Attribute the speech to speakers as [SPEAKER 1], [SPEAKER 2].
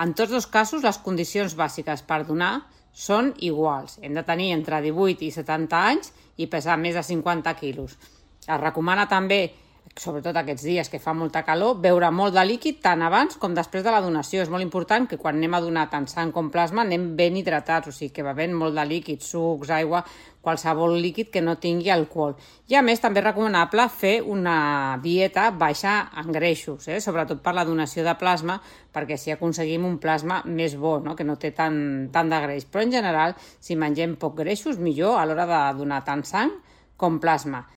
[SPEAKER 1] En tots dos casos, les condicions bàsiques per donar són iguals. Hem de tenir entre 18 i 70 anys i pesar més de 50 quilos. Es recomana també, sobretot aquests dies que fa molta calor, beure molt de líquid tant abans com després de la donació. És molt important que quan anem a donar tant sang com plasma anem ben hidratats, o sigui que bevent molt de líquid, sucs, aigua, qualsevol líquid que no tingui alcohol. I a més també és recomanable fer una dieta baixa en greixos, sobretot per la donació de plasma, perquè així aconseguim un plasma més bo, no? Que no té tant de greix. Però en general, si mengem poc greixos, millor a l'hora de donar tant sang com plasma.